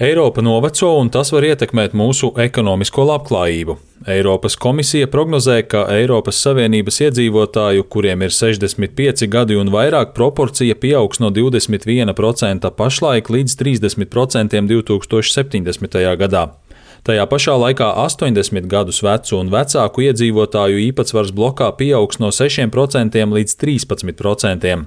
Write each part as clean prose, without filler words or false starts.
Eiropa noveco un tas var ietekmēt mūsu ekonomisko labklājību. Eiropas komisija prognozē, ka Eiropas Savienības iedzīvotāju, kuriem ir 65 gadi un vairāk, proporcija pieaugs no 21% pašlaik līdz 30% 2070. gadā. Tajā pašā laikā 80 gadus vecu un vecāku iedzīvotāju īpatsvars blokā pieaugs no 6% līdz 13%.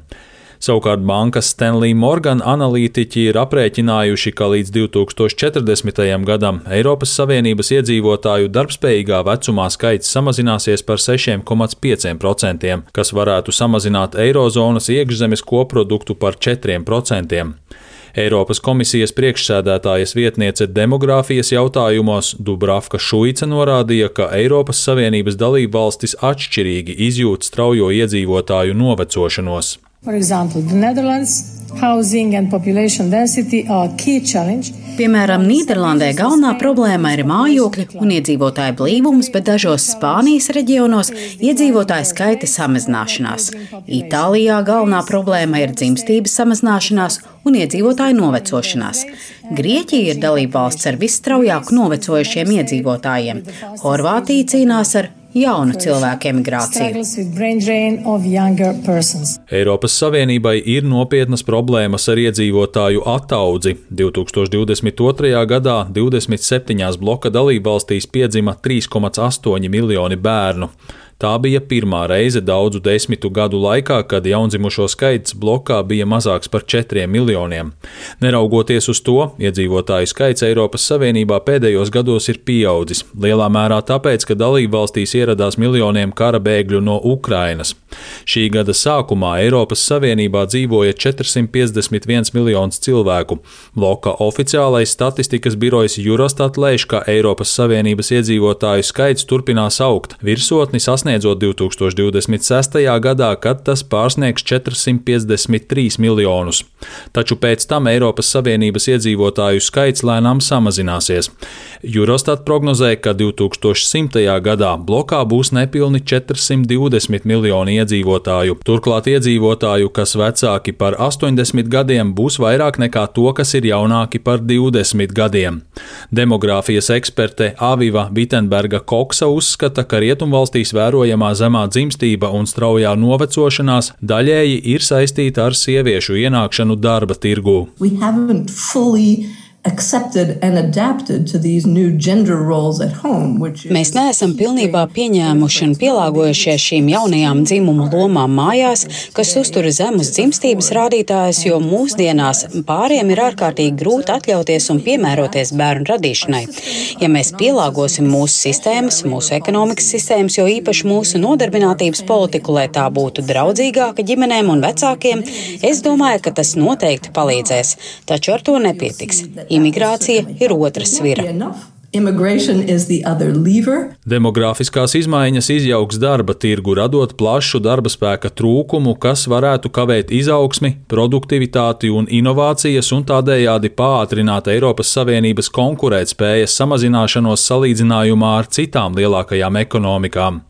Savukārt bankas Stanley Morgan analītiķi ir aprēķinājuši, ka līdz 2040. gadam Eiropas Savienības iedzīvotāju darbspējīgā vecumā skaits samazināsies par 6,5%, kas varētu samazināt Eirozonas iekšzemes koproduktu par 4%. Eiropas komisijas priekšsēdētājas vietniece demogrāfijas jautājumos Dubravka Šuica norādīja, ka Eiropas Savienības dalībvalstis atšķirīgi izjūt straujo iedzīvotāju novecošanos. For example, the Netherlands, housing and population density are a key challenge. Piemēram, Nīderlandē galvenā problēma ir mājokļi un iedzīvotāju blīvums, bet dažos Spānijas reģionos iedzīvotāju skaita samazināšanās. Itālijā galvenā problēma ir dzimstības samazināšanās un iedzīvotāju novecošanās. Grieķija ir dalībvalsts ar visstraujāk novecojušiem iedzīvotājiem. Horvātija cīnās ar jaunu cilvēku emigrāciju. Eiropas Savienībai ir nopietnas problēmas ar iedzīvotāju ataudzi. 2022. gadā 27 bloka dalībvalstīs piedzima 3,8 miljoni bērnu. Tā bija pirmā reize daudzu desmitu gadu laikā, kad jaundzimušo skaits blokā bija mazāks par 4 miljoniem. Neraugoties uz to, iedzīvotāju skaits Eiropas Savienībā pēdējos gados ir pieaudzis, lielā mērā tāpēc, ka dalībvalstīs ieradās miljoniem kara bēgļu no Ukrainas. Šī gada sākumā Eiropas Savienībā dzīvoja 451 miljonus cilvēku. Bloka oficiālais statistikas birojs Eurostat lēš, ka Eiropas Savienības iedzīvotāju skaits turpinās augt, virsotni sasniedzot 2026. gadā, kad tas pārsniegs 453 miljonus. Taču pēc tam Eiropas Savienības iedzīvotāju skaits lēnām samazināsies. Eurostat prognozē, ka 2100. gadā blokā būs nepilni 420 miljoni iedzīvotāju. Turklāt iedzīvotāju, kas vecāki par 80 gadiem, būs vairāk nekā to, kas ir jaunāki par 20 gadiem. Demogrāfijas eksperte Aviva Vittenberga Koksa uzskata, ka rietumvalstīs vērojamā zemā dzimstība un straujā novecošanās daļēji ir saistīta ar sieviešu ienākšanu darba tirgū. Mēs neesam pilnībā pieņēmuši un pielāgojušies šīm jaunajām dzimumu lomām mājās, kas uztur zemus dzimstības rādītājus, jo mūsdienās pāriem ir ārkārtīgi grūti atļauties un piemēroties bērnu radīšanai. Ja mēs pielāgosim mūsu sistēmas, mūsu ekonomikas sistēmas, jo īpaši mūsu nodarbinātības politiku, lai tā būtu draudzīgāka ģimenēm un vecākiem, es domāju, ka tas noteikti palīdzēs, taču ar to nepietiks. Imigrācija ir otra svira. Demogrāfiskās izmaiņas izjauks darba tirgu, radot plašu darba spēka trūkumu, kas varētu kavēt izaugsmi, produktivitāti un inovācijas un tādējādi pātrināt Eiropas Savienības konkurētspējas samazināšanos salīdzinājumā ar citām lielākajām ekonomikām.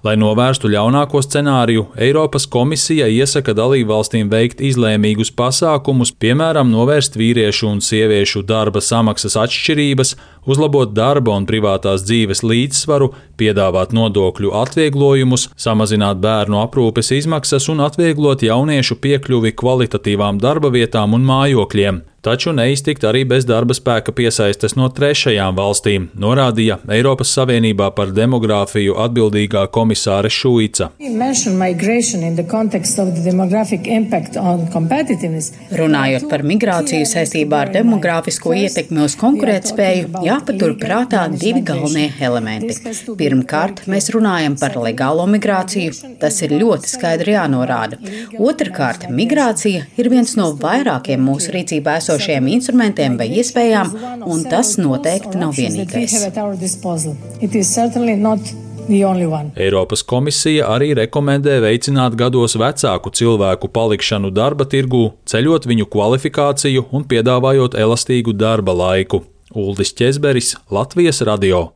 Lai novērstu ļaunāko scenāriju, Eiropas komisija iesaka dalībvalstīm veikt izlēmīgus pasākumus, piemēram, novērst vīriešu un sieviešu darba samaksas atšķirības, uzlabot darba un privātās dzīves līdzsvaru, piedāvāt nodokļu atvieglojumus, samazināt bērnu aprūpes izmaksas un atvieglot jauniešu piekļuvi kvalitatīvām darba vietām un mājokļiem. Taču neiztikt arī bez darba spēka piesaistes no trešajām valstīm, norādīja Eiropas Savienībā par demogrāfiju atbildīgā komisāre Šuica. Runājot par migrāciju saistībā ar demogrāfisko ietekmi uz konkurētspēju, jāpatur prātā divi galvenie elementi. Pirmkārt, mēs runājam par legālo migrāciju, tas ir ļoti skaidri jānorāda. Otrkārt, migrācija ir viens no vairākiem mūsu rīcībā esošajiem instrumentiem vai iespējām, un tas noteikti nav vienīgais. Eiropas komisija arī rekomendē veicināt gados vecāku cilvēku palikšanu darba tirgū, ceļot viņu kvalifikāciju un piedāvājot elastīgu darba laiku. Uldis Ķezberis, Latvijas radio.